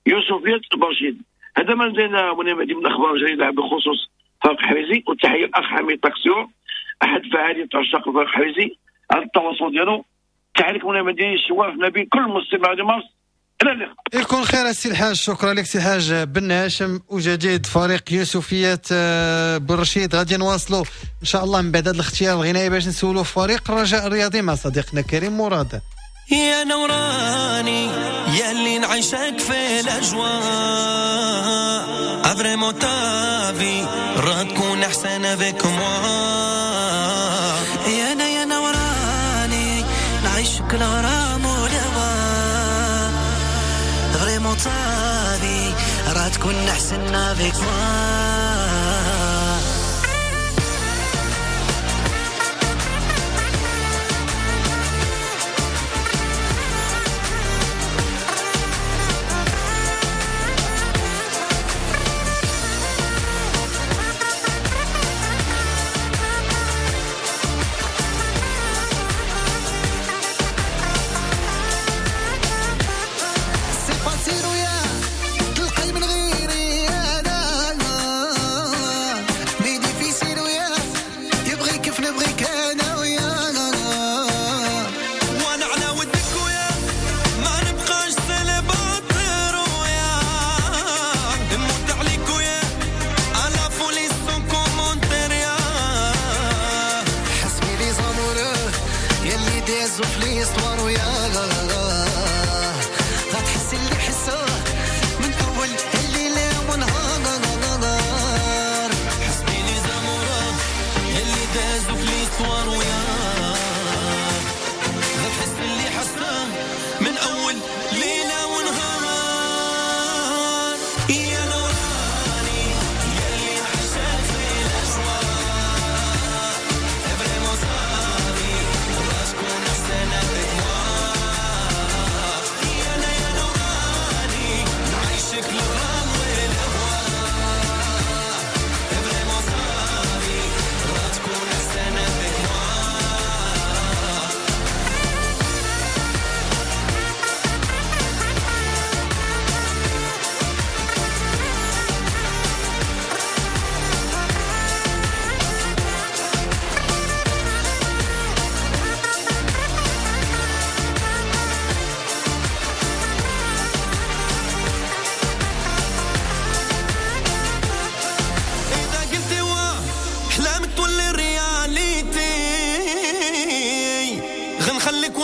يوسفيه برشيد. هذا ما لدينا من الاخبار الجديدة بخصوص فريق الحريزي. والتحيه الاخ حميد طاكسيور احد فعالية عشاق الفريق الحريزي على التواصل ديالو. تحية لكم من الشواف نبيل كل مستمع مارس. الى اللقاء. يكون خير السي الحاج. شكرا لك سي الحاج بن هاشم. وجديد فريق يوسفيه برشيد غادي نواصلوا ان شاء الله من بعد هذا الاختيار الغنائي باش نسولوا فريق الرجاء الرياضي مع صديقنا كريم مراد. يا نوراني يا اللي نعيشك في الاجواء vraiment ta vie راه تكون احسن avec moi. يا انا يا نوراني نعيشك الغرام والهوى vraiment ta vie راه تكون احسن avec moi. Vraiment ta vie, راه تكون احسن avec moi.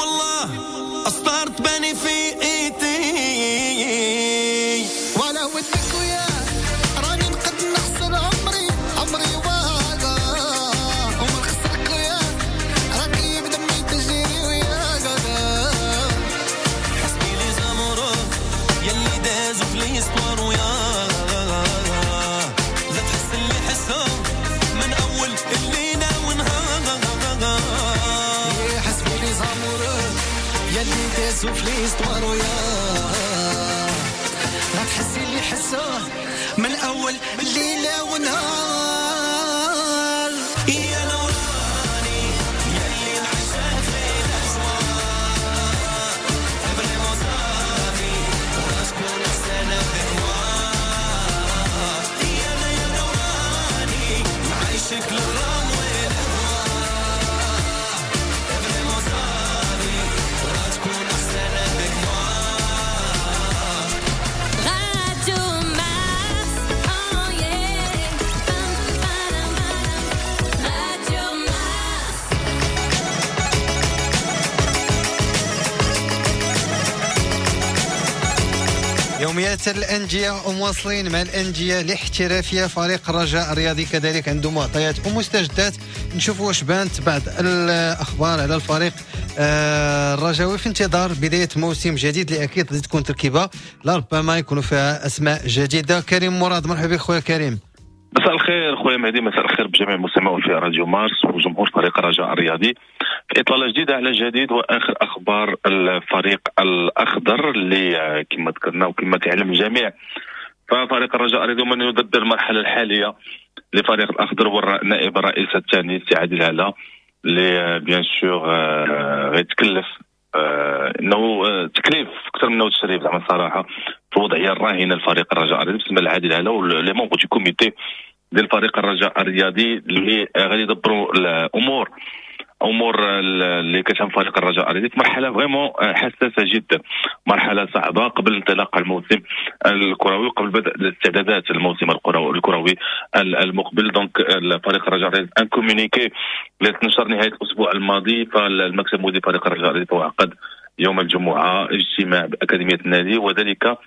والله أسطار تباني في ايدي ولا ودك ويا راني نقد نحسن عمري عمري واقع وما نخسرك ويا راكي بدمي تجري ويا حسبي les amoureux يلي دازو في l'histoire ويا لا تحس اللي حسو من اول الليلة ونهار حسبي les amoureux يلي دازو في l'histoire ويا لا تحسي اللي حسوه من اول ليلة ونهار يا نوراني يلي نعيشها في الاجواء vraiment صافي وراسكون احسن avec moi يا يا نوراني نعيشك الغرام والهوى vraiment صافي وراسكون احسن avec moi. Radio Mars, oh yeah. Radio Mars. يوميات الأندية ومواصلين مع الأندية الاحترافية. فريق الرجاء الرياضي كذلك عنده معطيات ومستجدات، نشوفوا واش بانت بعض الأخبار على الفريق آه، الرجاوي في انتظار بداية موسم جديد اللي أكيد غادي تكون تركيبة لربما يكونوا فيها أسماء جديدة. كريم مراد، مرحبا بك خويا كريم. مساء الخير خويا مهدي، مساء الخير بجميع المستمعين في راديو مارس وجمهور فريق الرجاء الرياضي في اطلالة جديدة على جديد واخر اخبار الفريق الاخضر اللي كما ذكرنا وكما كيعلم الجميع ففريق الرجاء الرياضي من يدبر المرحلة الحالية لفريق الاخضر هو النائب الرئيس الثاني سي عادل هلا اللي bien sûr غيتكلف انه تكليف اكثر من تشريف زعما الصراحة في الوضعية الراهنة لفريق الرجاء الرياضي بالنسبة لعادل هلا و les membres du comité ديال فريق الرجاء الرياضي اللي غادي يدبروا الامور امور اللي كتهم فريق الرجاء الرياضي في مرحلة vraiment حساسة جدا، مرحلة صعبة قبل انطلاق الموسم الكروي وقبل بدء الاستعدادات الموسم الكروي المقبل. donc فريق الرجاء الرياضي un communiqué اللي تنشر نهاية الاسبوع الماضي، فالمكتب المدير فريق الرجاء الرياضي عقد يوم الجمعة اجتماع باكاديميه النادي وذلك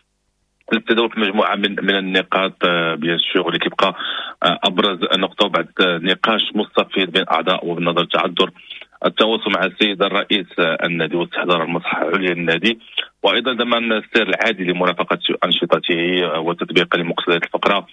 للتداول في مجموعة من من النقاط bien sûr واللي كيبقى ابرز نقطة بعد نقاش مستفيض بين اعضاء وبالنظر تعذر التواصل مع السيد الرئيس النادي واستحضار المصلحة العليا للنادي وايضا ضمان السير العادي لمرافقه انشطته وتطبيقا لمقتضيات الفقرة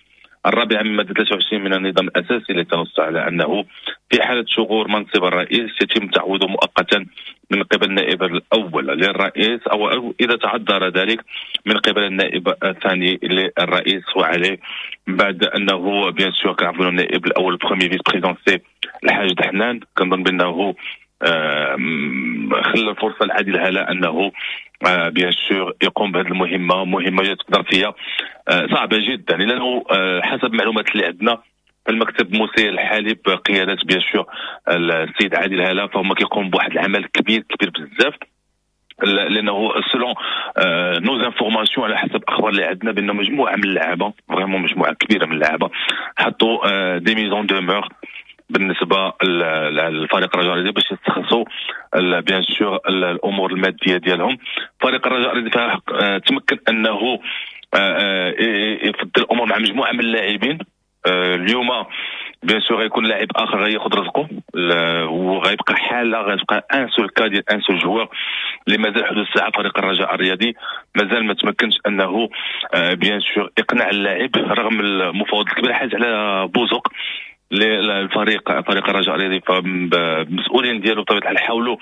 الرابعة من مادة ثلاثة وعشرين من النظام الاساسي التي تنص على انه في حاله شغور منصب الرئيس يتم تعويضه مؤقتا من قبل النائب الاول للرئيس او اذا تعذر ذلك من قبل النائب الثاني للرئيس. وعليه بعد انه bien sûr كنعرفوا النائب الاول premier vice-président سي الحاج دحنان كنظن بانه خلى الفرصة لعادل هلا انه bien sûr يقوم بهذه المهمة، مهمة جات ظرفيه صعبة جدا لانه حسب المعلومات اللي عندنا المكتب المسير الحالي بقيادة bien sûr السيد عادل هلا فهم كيقوم بواحد العمل كبير كبير بزاف لانه selon nos informations على حسب الاخبار اللي عندنا بان مجموعة من اللعابه vraiment مجموعة كبيرة من اللعابه حطوا des mises en demeure بالنسبة للفريق الرجاء الرياضي باش يستخلصوا bien sûr الامور المادية ديالهم. فريق الرجاء الرياضي تمكن انه يفضل الامور مع مجموعة من اللاعبين. اليوم bien sûr غيكون لاعب اخر غياخذ رزقه وغيبقى حاله غتبقى un seul cas ديال un seul joueur اللي مازال حدود الساعة فريق الرجاء الرياضي مازال ما تمكنش انه bien sûr يقنع اللاعب رغم المفاوضات الكبيرة حاز على بوزوق للفريق فريق الرجاء الرياضي. فالمسؤولين ديالو بطبيعة الحال حاولوا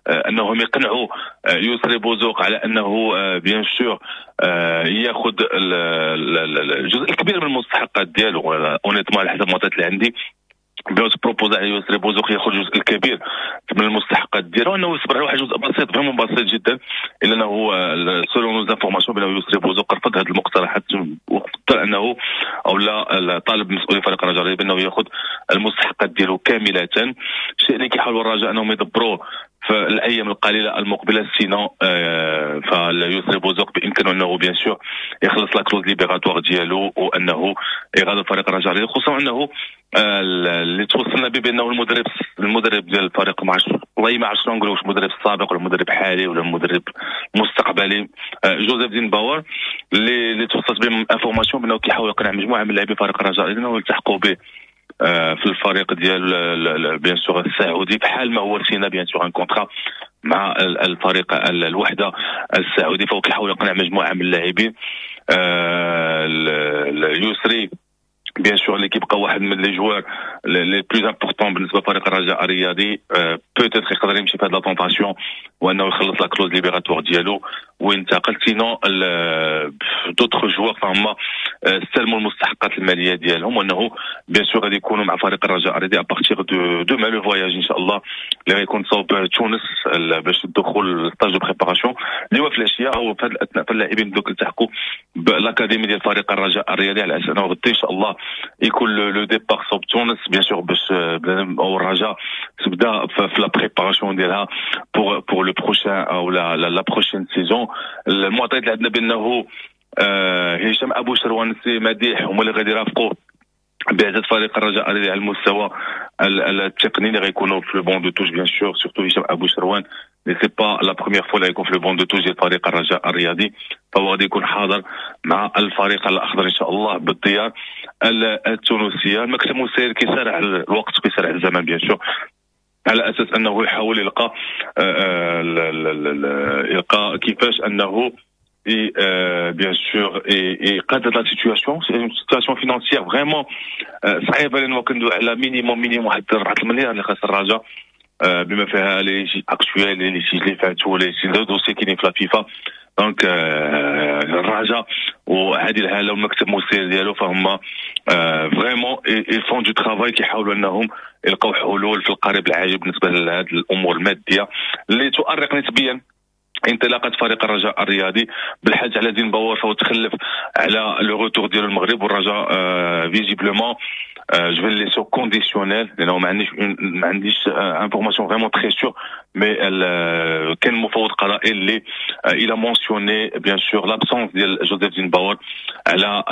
انهم يقنعوا يسري بوزوق على انه bien sûr ياخذ الجزء الكبير من المستحقات ديالو. honnêtement على حسب المعطيات اللي عندي بيوت proposa على يسري بوزوق ياخذ الجزء الكبير من المستحقات ديالو انه يصبر على واحد الجزء بسيط vraiment بسيط جدا الا انه selon nos informations بانه يسري بوزوق رفض هذه المقترحات وفضل انه او لا طالب مسؤولي فريق الرجاء بانه ياخذ المستحقات ديالو كاملة، الشيء اللي كيحاولوا الرجاء انهم يدبروه في الايام القليلة المقبلة. sinon آه فيسري بوزوق بامكانه انه bien sûr يخلص la clause libératoire ديالو وانه يغادر فريق الرجاء، خصوصا انه اللي توصلنا به بانه المدرب المدرب ديال الفريق ما عرفتش والله ما عرفتش نقول واش المدرب السابق ولا المدرب الحالي ولا المدرب المستقبلي جوزيف دين باور اللي اللي توصلت به information بانه كيحاول يقنع مجموعة من لاعبي فريق الرجاء انه يلتحقوا به في الفريق ديال bien sûr السعودي، بحال ما هو سينا bien sûr un contrat مع الفريق الوحدة السعودي، فهو كيحاول يقنع مجموعة من اللاعبين. اليسري bien sûr اللي كيبقى واحد من les joueurs les plus importants بالنسبة لفريق الرجاء الرياضي، peut-être يقدر يمشي في هاد la tentation وانه يخلص la clause libératoire ديالو وينتقل. sinon d'autres joueurs فهما استلموا المستحقات المالية ديالهم، وانه bien sûr غادي يكونوا مع فريق الرجاء الرياضي à partir de demain le voyage ان شاء الله اللي غيكون صوب تونس باش الدخول stage de préparation اللي هو في العشية او في هذه الاثناء. فاللاعبين دوك التحقوا ب l'académie ديال فريق الرجاء الرياضي على اساس انه غدا ان شاء الله يكون le départ صوب تونس bien sûr باش او الرجاء تبدا في la préparation ديالها pour pour le prochain او la la prochaine saison. المعطيات اللي عندنا بانه هشام ابو شروان سي مديح هما اللي غادي يرافقوا بعثة فريق الرجاء على المستوى التقني اللي غيكونوا في le banc de touche bien sûr، surtout هشام ابو شروان اللي c'est pas la première fois اللي غيكون في le banc de touche ديال فريق الرجاء الرياضي، فهو غادي يكون حاضر مع الفريق الاخضر ان شاء الله بالديار التونسية. المكتب المسير كيسارع الوقت كيسارع الزمن bien sûr على اساس انه يحاول يلقى يلقى كيفاش انه et euh, bien sûr et et قادر la situation c'est une situation financière vraiment صعيبة، لانه كندوي على minimum minimum واحد أربعة المليار اللي خاص الرجاء بما فيها les actuels les litiges اللي فاتوا les les dossiers كاينين في la FIFA. donc الرجاء وعادل هاله والمكتب المسير ديالو فهم vraiment ils font du travail، كيحاولوا انهم يلقاو حلول في القريب العاجل بالنسبة لهذه الامور المادية اللي تؤرق نسبيا انطلاقة فريق الرجاء الرياضي. بالحاج على دين باور فهو تخلف على le retour ديال المغرب، والرجاء visiblement je vais laisser conditionnel لانه ما عنديش ما عنديش information vraiment très sûre، mais كان مفوض قضائي اللي il a mentionné bien sûr l'absence ديال جوزيف دين باور على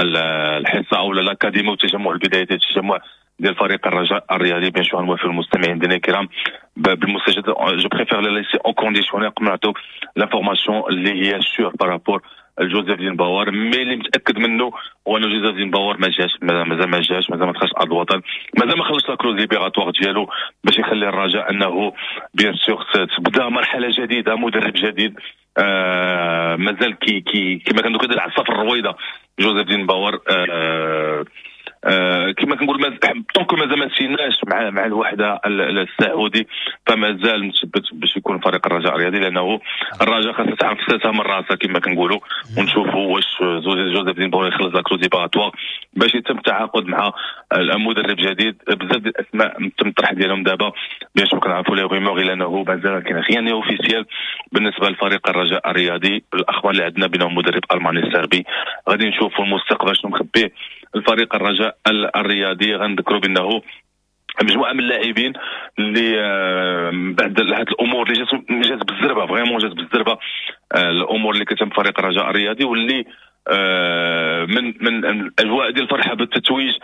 الحصة او l'académie والتجمع البداية ديال التجمع ديال فريق الرجاء الرياضي. bien sûr نوافي المستمعين ديالنا الكرام بالمستجد، je préfère la laisser en conditionnel قبل نعطيو l'information اللي هي sûre par rapport جوزيف دين باور. mais اللي متاكد منه هو ان جوزيف دين باور ما جاش، مازال ما جاش، مازال ما دخلش ارض الوطن، مازال ما خلصش la clause libératoire ديالو باش يخلي الرجاء انه bien sûr تبدا مرحلة جديدة، مدرب جديد. آه مازال كي كي كما كنقولوا كيدير العصا في الرويضه جوزيف دين باور. آه آه كما كنقول tant que مازال ما سيناش مع مع الوحدة السعودي، فمازال متثبت باش يكون فريق الرجاء الرياضي، لانه الرجاء خاصها تعرف ساسها من راسها كما كنقولوا، ونشوفوا واش جوزيف دين باور يخلص la clause libératoire باش يتم التعاقد مع المدرب جديد. بزاف ديال الاسماء تم الطرح ديالهم دابا bien sûr كنعرفوا les rumeurs، لانه مازال كاين rien officiel بالنسبة لفريق الرجاء الرياضي. الاخبار اللي عندنا بينهم مدرب الماني سربي، غادي نشوفوا المستقبل شنو مخبيه الفريق الرجاء الرياضي. غنذكروا بانه مجموعة من اللاعبين اللي بعد هذه الامور اللي جات جات بالزربه، vraiment جات بالزربه الامور اللي كتم فريق الرجاء الرياضي، واللي من من الاجواء ديال الفرحة بالتتويج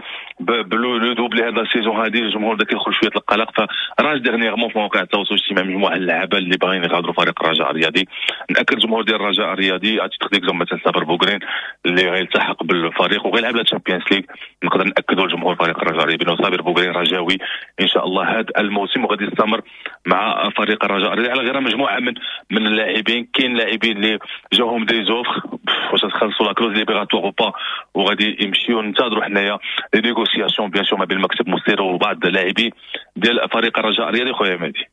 ب le doublé هذا ال saison هذه، الجمهور بدا كيدخل شوية القلق. فراج dernièrement في مواقع التواصل الاجتماعي مجموعة اللعابه اللي باغيين يغادروا فريق الرجاء الرياضي. ناكد الجمهور ديال الرجاء الرياضي à titre d'exemple مثلا صابر بوغرين اللي غيلتحق بالفريق وغيلعب la Champions League، نقدر ناكدوا لجمهور فريق الرجاء الرياضي بانه صابر بوغرين رجاوي ان شاء الله هذا الموسم وغادي يستمر مع فريق الرجاء الرياضي. على غير مجموعة من من اللاعبين، كاين لاعبين اللي جاهم des offres واش تخلصوا la clause libératoire ou pas وغادي يمشيو. ننتظروا حنايا les négociations bien sûr ما بين المكتب المسير وبعض اللاعبين ديال فريق الرجاء الرياضي. خويا مهدي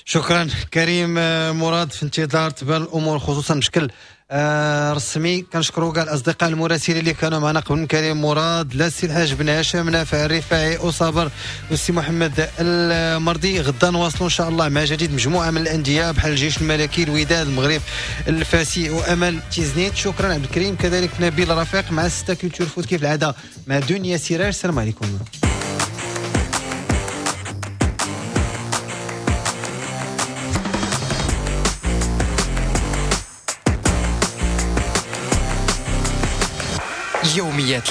شكرا كريم مراد، في انتظار تبان الامور خصوصا بشكل آه رسمي. كنشكروا كاع الاصدقاء المراسلين اللي كانوا معنا قبل من كريم مراد، لا السي الحاج بن هاشم، نافع الرفاعي وصابر والسي محمد المرضي. غدا نواصلوا ان شاء الله مع جديد مجموعة من الاندية بحال الجيش الملكي، الوداد، المغرب الفاسي وامل تيزنيت. شكرا عبد الكريم، كذلك نبيل رفيق مع ستة Culture Foot كيف العادة مع دنيا سراج. السلام عليكم. يوميات